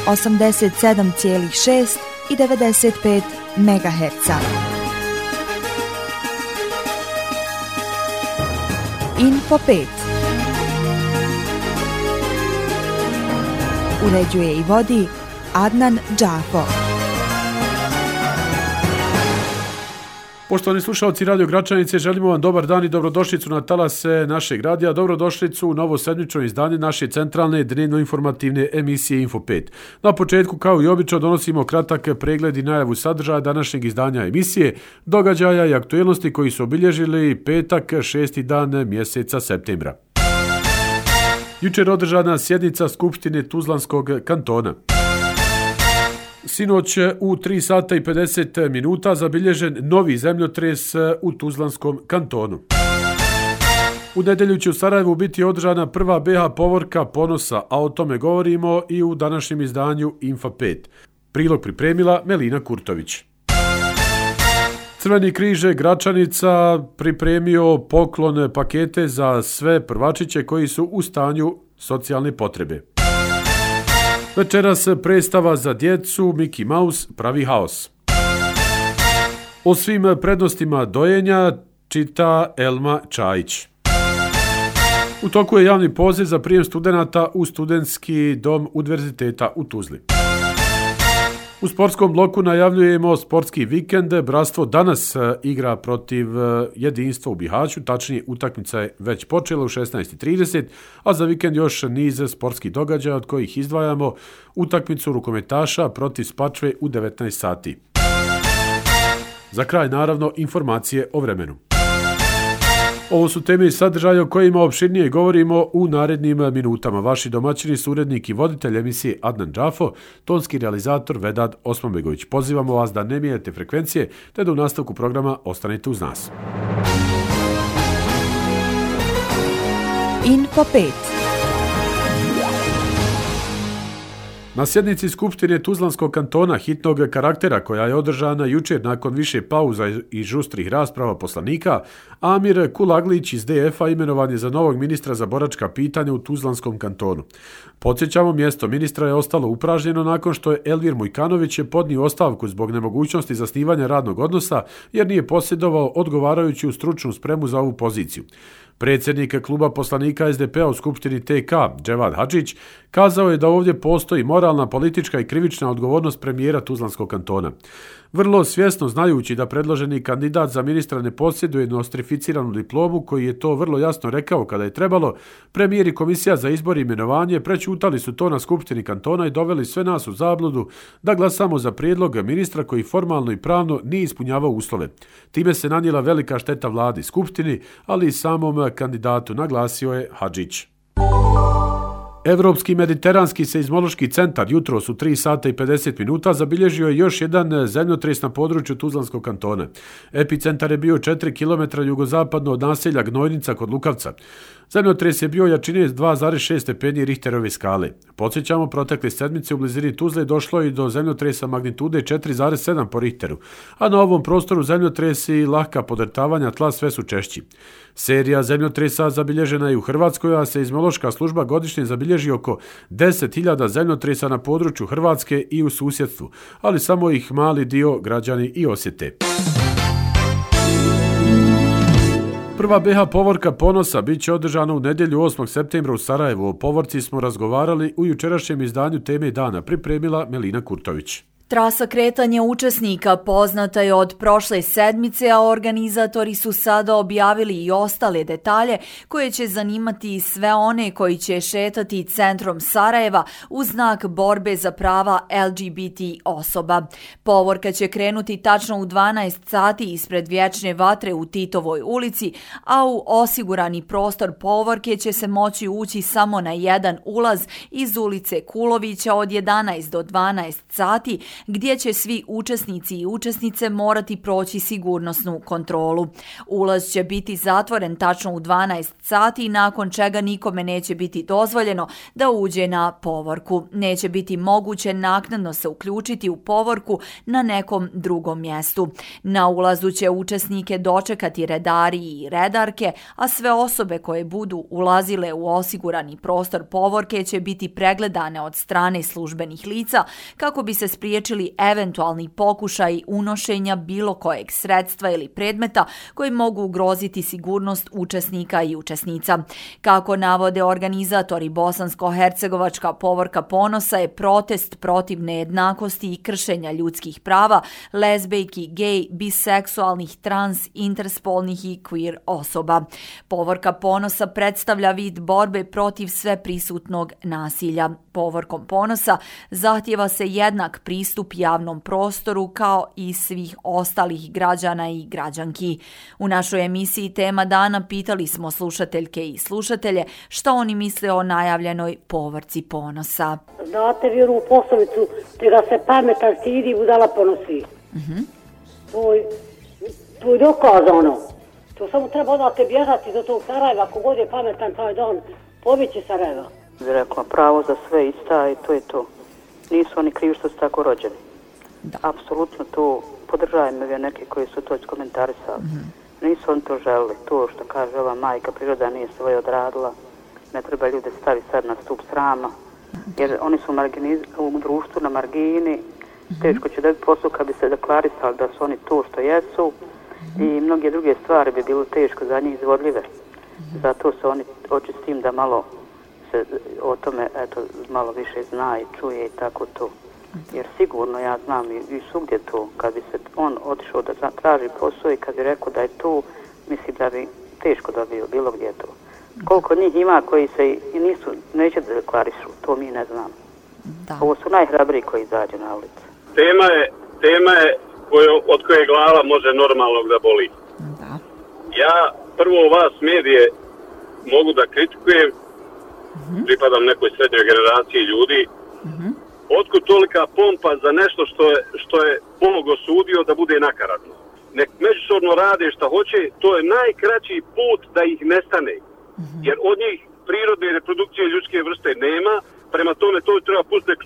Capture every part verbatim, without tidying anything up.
osamdeset sedam zarez šest i devedeset pet megaherca. Info pet. Uređuje i vodi Adnan Džafo. Poštovani slušalci Radio Gračanice, želimo vam dobar dan i dobrodošlicu na talase našeg radija, dobrodošlicu u novo sedmično izdanje naše centralne dnevno-informativne emisije Info pet. Na početku, kao i obično, donosimo kratak pregled i najavu sadržaja današnjeg izdanja emisije, događaja i aktuelnosti koji su obilježili petak, šesti dan mjeseca septembra. Jučer održana sjednica Skupštine Tuzlanskog kantona. Sinoć u tri sata i pedeset minuta zabilježen novi zemljotres u Tuzlanskom kantonu. U nedjelju će u Sarajevu biti održana prva B H povorka ponosa, a o tome govorimo i u današnjem izdanju Info pet. Prilog pripremila Melina Kurtović. Crveni križ Gračanica pripremio poklon pakete za sve prvačiće koji su u stanju socijalne potrebe. Večeras predstava za djecu Mickey Mouse pravi haos. O svim prednostima dojenja čita Elma Čajić. U toku je javni poziv za prijem studenata u studentski dom Univerziteta u Tuzli. U sportskom bloku najavljujemo sportski vikend. Bratstvo danas igra protiv Jedinstva u Bihaću, tačnije utakmica je već počela u šesnaest i trideset, a za vikend još niz sportskih događaja od kojih izdvajamo utakmicu rukometaša protiv Spačve u devetnaest sati. Za kraj, naravno, informacije o vremenu. Ovo su teme i sadržaje o kojima opširnije govorimo u narednim minutama. Vaši domaćini su urednik i voditelj emisije Adnan Džafo, tonski realizator Vedad Osmanbegović. Pozivamo vas da ne mijenjate frekvencije, te da u nastavku programa ostanete uz nas. Info pet. Na sjednici Skupštine Tuzlanskog kantona hitnog karaktera, koja je održana jučer nakon više pauza i žustrih rasprava poslanika, Amir Kulaglić iz D F-a imenovan je za novog ministra za boračka pitanja u Tuzlanskom kantonu. Podsjećamo, mjesto ministra je ostalo upražnjeno nakon što je Elvir Mujkanović podnio ostavku zbog nemogućnosti zasnivanja radnog odnosa jer nije posjedovao odgovarajuću stručnu spremu za ovu poziciju. Predsjednik kluba poslanika S D P-a u Skupštini T K, Dževad Hadžić, kazao je da ovdje postoji moralna, politička i krivična odgovornost premijera Tuzlanskog kantona. Vrlo svjesno znajući da predloženi kandidat za ministra ne posjeduje nostrificiranu diplomu, koji je to vrlo jasno rekao kada je trebalo, premijer i komisija za izbor i imenovanje prećutali su to na Skupštini kantona i doveli sve nas u zabludu da glasamo za prijedlog ministra koji formalno i pravno nije ispunjavao uslove. Time se nanijela velika šteta vladi, Skupštini, ali i samom kandidatu, naglasio je Hadžić. Evropski mediteranski seizmološki centar jutros u tri sata i pedeset minuta zabilježio je još jedan zemljotres na području Tuzlanskog kantona. Epicentar je bio četiri kilometra jugozapadno od naselja Gnojnica kod Lukavca. Zemljotres je bio jačine dva zarez šest stepeni Richterove skale. Podsjećamo, protekle sedmice u blizini Tuzle došlo je do zemljotresa magnitude četiri zarez sedam po Richteru, a na ovom prostoru zemljotresi i lahka podrtavanja tla sve su češći. Serija zemljotresa zabilježena je u Hrvatskoj, a seizmološka služba godišnje zabilježi oko deset hiljada zemljotresa na području Hrvatske i u susjedstvu, ali samo ih mali dio građani i osjete. Prva B H povorka ponosa bit će održana u nedjelju osmog septembra u Sarajevu. O povorci smo razgovarali u jučerašnjem izdanju Teme dana, pripremila Melina Kurtović. Trasa kretanja učesnika poznata je od prošle sedmice, a organizatori su sada objavili i ostale detalje koje će zanimati sve one koji će šetati centrom Sarajeva u znak borbe za prava L G B T osoba. Povorka će krenuti tačno u dvanaest sati ispred Vječne vatre u Titovoj ulici, a u osigurani prostor povorke će se moći ući samo na jedan ulaz iz ulice Kulovića od jedanaest do dvanaest sati, gdje će svi učesnici i učesnice morati proći sigurnosnu kontrolu. Ulaz će biti zatvoren tačno u dvanaest sati, nakon čega nikome neće biti dozvoljeno da uđe na povorku. Neće biti moguće naknadno se uključiti u povorku na nekom drugom mjestu. Na ulazu će učesnike dočekati redari i redarke, a sve osobe koje budu ulazile u osigurani prostor povorke će biti pregledane od strane službenih lica kako bi se spriječili eventualni pokušaj unošenja bilo kojeg sredstva ili predmeta koji mogu ugroziti sigurnost učesnika i učesnica. Kako navode organizatori, bosansko-hercegovačka povorka ponosa je protest protiv nejednakosti i kršenja ljudskih prava lezbejki, gej, biseksualnih, trans, interspolnih i queer osoba. Povorka ponosa predstavlja vid borbe protiv sveprisutnog nasilja. Povorkom ponosa zahtijeva se jednak pristup javnom prostoru kao i svih ostalih građana i građanki. U našoj emisiji Tema dana pitali smo slušateljke i slušatelje što oni misle o najavljenoj povorci ponosa. Znate vi onu poslovicu, te da se pametan stidi, budala ponosi. Mm-hmm. To je, to je dokazano. To samo treba odate bježati do tog Sarajeva, kogod je pametan taj dan, pobjeći Sarajeva. Rekla, pravo za sve ista i to je to. Nisu oni krivi što su tako rođeni. Da. Apsolutno to podržajem ove neke koji su to iskomentarisali. Mm-hmm. Nisu oni to želili. To što kaže ova majka, priroda nije svoje odradila. Ne treba ljude staviti sad na stup srama. Jer oni su marginiz- u društvu na margini. Mm-hmm. Teško će dobiti posao kad bi se deklarisali da su oni to što jesu. Mm-hmm. I mnoge druge stvari bi bilo teško za njih izvodljive. Mm-hmm. Zato se oni hoće s tim da malo se o tome eto, malo više zna i čuje i tako to. Jer sigurno ja znam i, i svugdje to, kad bi se on otišao da traži posao i kad bi rekao da je to, mislim da bi teško dobio bilo gdje to. Koliko njih ima koji se i nisu, neće da deklarišu, to mi ne znam. Da. Ovo su najhrabriji koji izađu na ulicu. Tema je, tema je koju, od koje glava može normalnog da boli. Da. Ja prvo vas medije mogu da kritikujem, mm-hmm. pripadam nekoj srednjoj generaciji ljudi. Mm-hmm. Otkud tolika pompa za nešto što je, što je Bog osudio da bude nakaradno? Nek međusobno rade šta hoće, to je najkraći put da ih nestane. Mm-hmm. Jer od njih prirodne reprodukcije ljudske vrste nema, prema tome to treba pustiti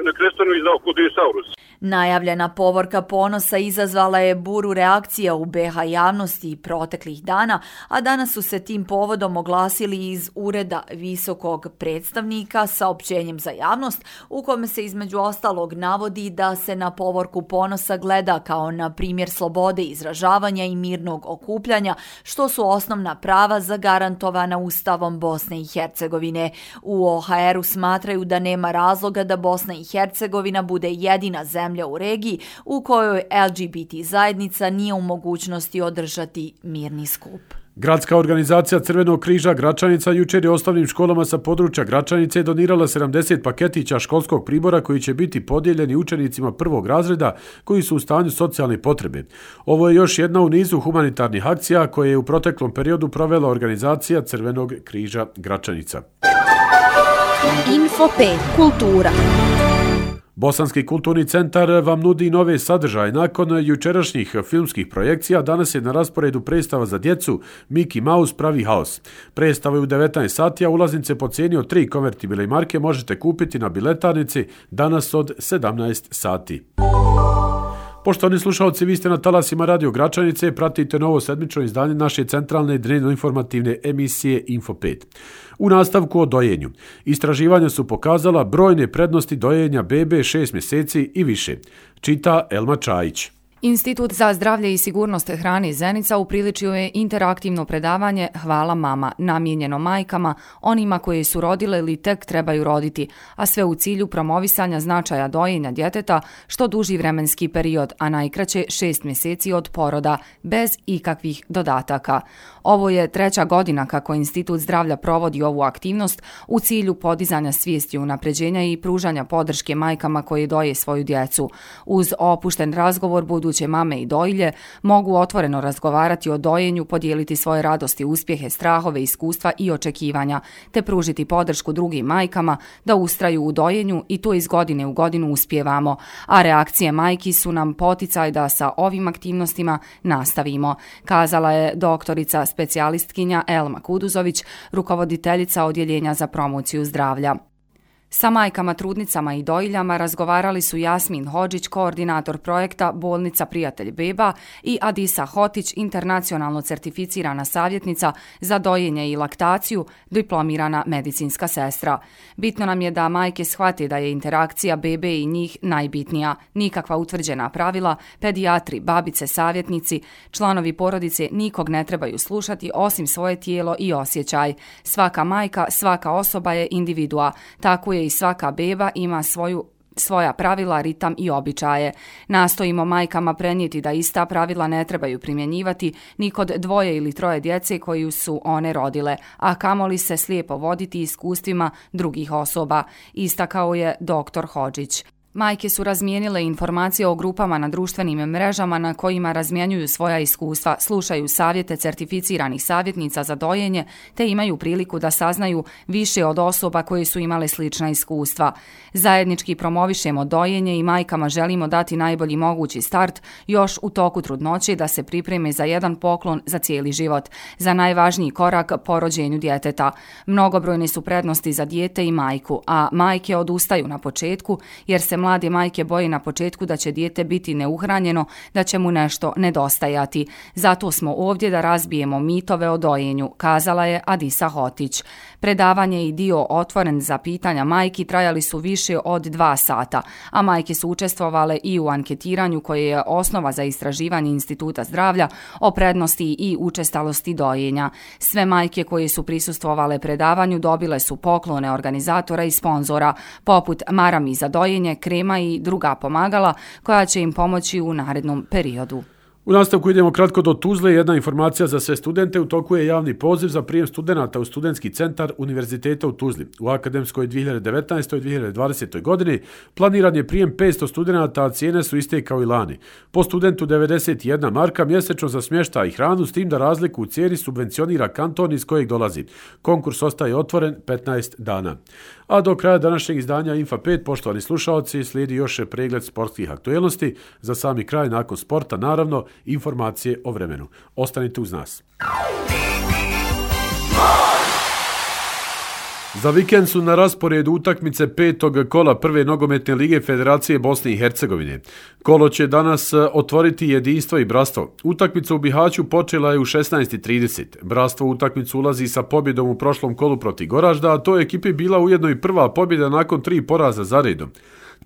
na krestanu i znao kod dinosaurus. Najavljena povorka ponosa izazvala je buru reakcija u be ha javnosti proteklih dana, a danas su se tim povodom oglasili iz Ureda visokog predstavnika saopćenjem za javnost, u kome se između ostalog navodi da se na povorku ponosa gleda kao na primjer slobode izražavanja i mirnog okupljanja, što su osnovna prava zagarantovana Ustavom Bosne i Hercegovine. U o ha eru smatraju da nema razloga da Bosna i Hercegovina bude jedina zemlja u regiji u kojoj el ge be te zajednica nije u mogućnosti održati mirni skup. Gradska organizacija Crvenog križa Gračanica jučer je osnovnim školama sa područja Gračanice donirala sedamdeset paketića školskog pribora koji će biti podijeljeni učenicima prvog razreda koji su u stanju socijalne potrebe. Ovo je još jedna u nizu humanitarnih akcija koje je u proteklom periodu provela organizacija Crvenog križa Gračanica. Info pet. Kultura. Bosanski kulturni centar vam nudi nove sadržaje. Nakon jučerašnjih filmskih projekcija, danas je na rasporedu predstava za djecu Mickey Mouse pravi haos. Predstava je u devetnaest sati, a ulaznice po cijeni od tri konvertibilne marke možete kupiti na biletarnici danas od sedamnaest sati. Poštovani slušalci, vi ste na talasima Radio Gračanice, pratite novo sedmično izdanje naše centralne dnevno-informativne emisije Info pet. U nastavku o dojenju. Istraživanja su pokazala brojne prednosti dojenja bebe šest mjeseci i više. Čita Elma Čajić. Institut za zdravlje i sigurnost hrane Zenica upriličio je interaktivno predavanje Hvala mama, namijenjeno majkama, onima koje su rodile ili tek trebaju roditi, a sve u cilju promovisanja značaja dojenja djeteta što duži vremenski period, a najkraće šest mjeseci od poroda, bez ikakvih dodataka. Ovo je treća godina kako Institut zdravlja provodi ovu aktivnost u cilju podizanja svijesti, unapređenja i pružanja podrške majkama koje doje svoju djecu. Uz opušten razgovor budu buduće mame i dojilje mogu otvoreno razgovarati o dojenju, podijeliti svoje radosti, uspjehe, strahove, iskustva i očekivanja, te pružiti podršku drugim majkama da ustraju u dojenju i to iz godine u godinu uspijevamo, a reakcije majki su nam poticaj da sa ovim aktivnostima nastavimo, kazala je doktorica specijalistkinja Elma Kuduzović, rukovoditeljica Odjeljenja za promociju zdravlja. Sa majkama, trudnicama i dojiljama razgovarali su Jasmin Hodžić, koordinator projekta Bolnica Prijatelj beba, i Adisa Hotić, internacionalno certificirana savjetnica za dojenje i laktaciju, diplomirana medicinska sestra. Bitno nam je da majke shvate da je interakcija bebe i njih najbitnija. Nikakva utvrđena pravila, pedijatri, babice, savjetnici, članovi porodice nikog ne trebaju slušati osim svoje tijelo i osjećaj. Svaka majka, svaka osoba je individua, tako je i svaka beba ima svoju svoja pravila, ritam i običaje. Nastojimo majkama prenijeti da ista pravila ne trebaju primjenjivati ni kod dvoje ili troje djece koju su one rodile, a kamoli se slijepo voditi iskustvima drugih osoba, istakao je doktor Hodžić. Majke su razmijenile informacije o grupama na društvenim mrežama na kojima razmjenjuju svoja iskustva, slušaju savjete certificiranih savjetnica za dojenje, te imaju priliku da saznaju više od osoba koje su imale slična iskustva. Zajednički promovišemo dojenje i majkama želimo dati najbolji mogući start još u toku trudnoće da se pripreme za jedan poklon za cijeli život, za najvažniji korak po rođenju djeteta. Mnogobrojne su prednosti za dijete i majku, a majke odustaju na početku jer se mlade majke boje na početku da će dijete biti neuhranjeno, da će mu nešto nedostajati. Zato smo ovdje da razbijemo mitove o dojenju, kazala je Adisa Hotić. Predavanje i dio otvoren za pitanja majki trajali su više od dva sata, a majke su učestvovale i u anketiranju koje je osnova za istraživanje Instituta zdravlja o prednosti i učestalosti dojenja. Sve majke koje su prisustvovale predavanju dobile su poklone organizatora i sponzora, poput marami za dojenje, krema i druga pomagala koja će im pomoći u narednom periodu. U nastavku idemo kratko do Tuzle. Jedna informacija za sve studente. U toku je javni poziv za prijem studenata u studentski centar Univerziteta u Tuzli. U akademskoj dvije hiljade devetnaestoj dvije hiljade dvadesetoj. godini planiran je prijem petsto studenata, a cijene su iste kao i lani. Po studentu devedeset jedna marka mjesečno za smještaj i hranu, s tim da razliku u cijeni subvencionira kanton iz kojeg dolazi. Konkurs ostaje otvoren petnaest dana. A do kraja današnjeg izdanja Infa pet, poštovani slušaoci, slijedi još pregled sportskih aktuelnosti. Za sami kraj, nakon sporta, naravno, informacije o vremenu. Ostanite uz nas. Za vikend su na rasporedu utakmice petog kola prve nogometne lige Federacije Bosne i Hercegovine. Kolo će danas otvoriti Jedinstvo i Bratstvo. Utakmica u Bihaću počela je u šesnaest i trideset. Bratstvo u utakmicu ulazi sa pobjedom u prošlom kolu protiv Goražda, a to je ekipi bila ujedno i prva pobjeda nakon tri poraza za redom.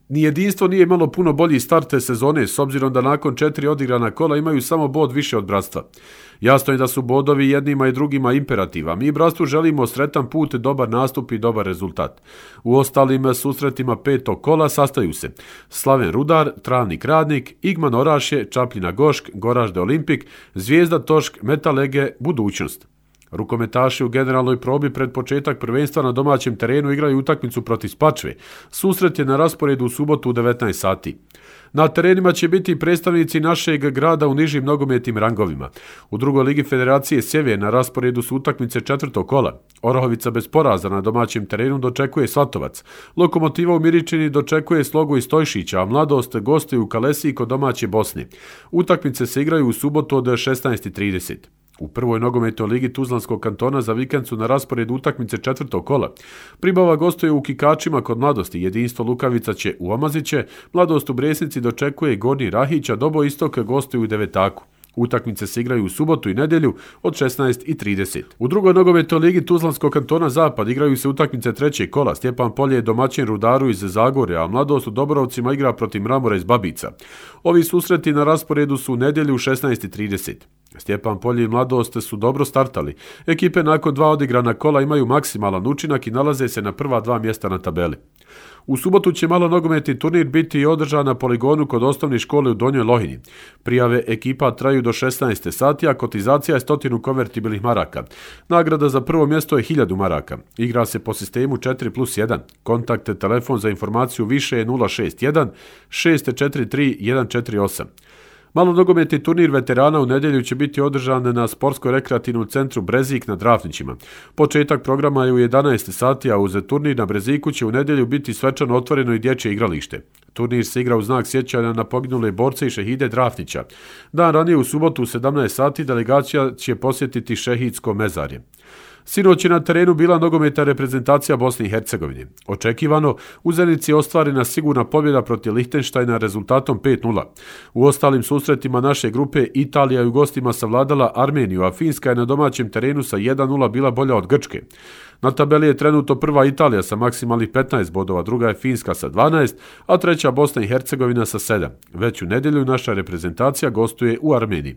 Ni Jedinstvo nije imalo puno bolji start te sezone, s obzirom da nakon četiri odigrana kola imaju samo bod više od Bratstva. Jasno je da su bodovi jednima i drugima imperativa. Mi Bratstvu želimo sretan put, dobar nastup i dobar rezultat. U ostalim susretima petog kola sastaju se Slaven Rudar, Travnik Radnik, Igman Orašje, Čapljina Gošk, Goražde Olimpik, Zvijezda Tošk, Metalege, Budućnost. Rukometaši u generalnoj probi pred početak prvenstva na domaćem terenu igraju utakmicu protiv Spačve. Susret je na rasporedu u subotu u devetnaest sati. Na terenima će biti predstavnici našeg grada u nižim nogometnim rangovima. U drugoj ligi Federacije Sjever na rasporedu su utakmice četvrtog kola. Orahovica bez poraza na domaćem terenu dočekuje Svatovac. Lokomotiva u Miričini dočekuje Slogu i Stojšića, a Mladost gostuje u Kalesiji kod domaće Bosne. Utakmice se igraju u subotu od šesnaest i trideset. U prvoj nogometnoj ligi Tuzlanskog kantona za vikend su na rasporedu utakmice četvrtog kola. Pribava gostuje u Kikačima kod Mladosti, Jedinstvo Lukavica će u Omaziće, Mladost u Bresnici dočekuje Gornji Rahića, Dobo Istok gostuje u Devetaku. Utakmice se igraju u subotu i nedjelju od šesnaest i trideset. U drugoj nogometnoj ligi Tuzlanskog kantona Zapad igraju se utakmice trećeg kola. Stjepan Polje je domaćin Rudaru iz Zagorja, a Mladost u Dobrovcima igra protiv Mramora iz Babica. Ovi susreti na rasporedu su u nedjelju u šesnaest i trideset. Stjepan Polje i Mladost su dobro startali. Ekipe nakon dva odigrana kola imaju maksimalan učinak i nalaze se na prva dva mjesta na tabeli. U subotu će malo nogometni turnir biti održan na poligonu kod osnovne škole u Donjoj Lohini. Prijave ekipa traju do šesnaest sati, a kotizacija je stotinu konvertibilnih maraka. Nagrada za prvo mjesto je hiljadu maraka. Igra se po sistemu četiri plus jedan. Kontakt telefon za informaciju više je nula šest jedan šest četiri tri jedan četiri osam. Malonogometni turnir veterana u nedjelju će biti održan na sportsko-rekreativnom centru Brezik na Drafnićima. Početak programa je u jedanaest sati, a uz turnir na Breziku će u nedjelju biti svečano otvoreno i dječje igralište. Turnir se igra u znak sjećanja na poginule borce i šehide Drafnića. Dan ranije u subotu u sedamnaest sati delegacija će posjetiti šehidsko mezarje. Sinoć je na terenu bila nogometna reprezentacija Bosne i Hercegovine. Očekivano, u Zenici je ostvarena sigurna pobjeda protiv Lihtenštajna rezultatom pet nula. U ostalim susretima naše grupe Italija je u gostima savladala Armeniju, a Finska je na domaćem terenu sa jedan nula bila bolja od Grčke. Na tabeli je trenutno prva Italija sa maksimalnih petnaest bodova, druga je Finska sa dvanaest, a treća Bosna i Hercegovina sa sedam. Već u nedjelju naša reprezentacija gostuje u Armeniji.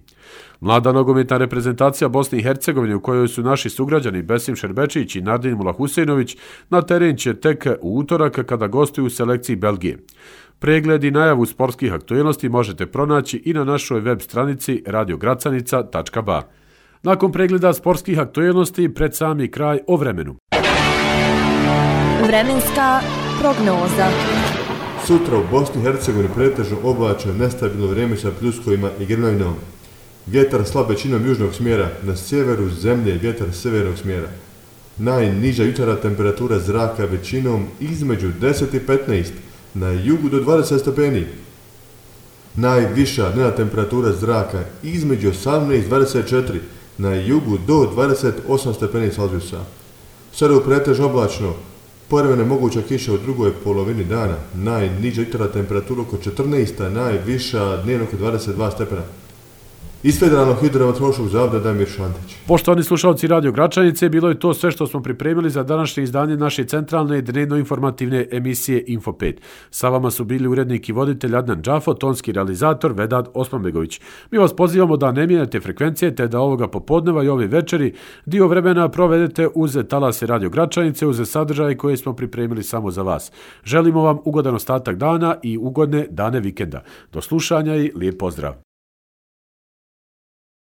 Mlada nogometna reprezentacija Bosne i Hercegovine, u kojoj su naši sugrađani Besim Šerbečić i Nardin Mulahusejnović, na teren će tek u utorak kada gostuju u selekciji Belgije. Pregled i najavu sportskih aktualnosti možete pronaći i na našoj web stranici radio gracanica tačka ba. Nakon pregleda sportskih aktualnosti, pred sami kraj o vremenu. Vremenska prognoza. Sutra u Bosni i Hercegovini pretežno oblačno nestabilno vrijeme sa pljuskovima i grmljavinom. Vjetar slab većinom južnog smjera, na sjeveru zemlje vjetar sjevernog smjera. Najniža jutarnja temperatura zraka većinom između deset i petnaest, na jugu do dvadeset stepeni. Najviša dnevna temperatura zraka između osamnaest i dvadeset četiri, na jugu do dvadeset osam stepeni Celzijusa. Sada u pretežno oblačno, povremeno moguća kiša u drugoj polovini dana, najniža jutarnja temperatura oko četrnaest, a najviša dnevno oko dvadeset dva stepena. Iz Federalnog hidrometeorološkog zavoda Damir Šantić. Poštovani slušalci Radio Gračanice, bilo je to sve što smo pripremili za današnje izdanje naše centralne dnevno-informativne emisije Info pet. Sa vama su bili urednik i voditelj Adnan Džafo, tonski realizator Vedad Osmanbegović. Mi vas pozivamo da ne mijenjate frekvencije, te da ovoga popodneva i ove večeri dio vremena provedete uz talase Radio Gračanice, uz sadržaje koje smo pripremili samo za vas. Želimo vam ugodan ostatak dana i ugodne dane vikenda. Do slušanja i lijep pozdrav.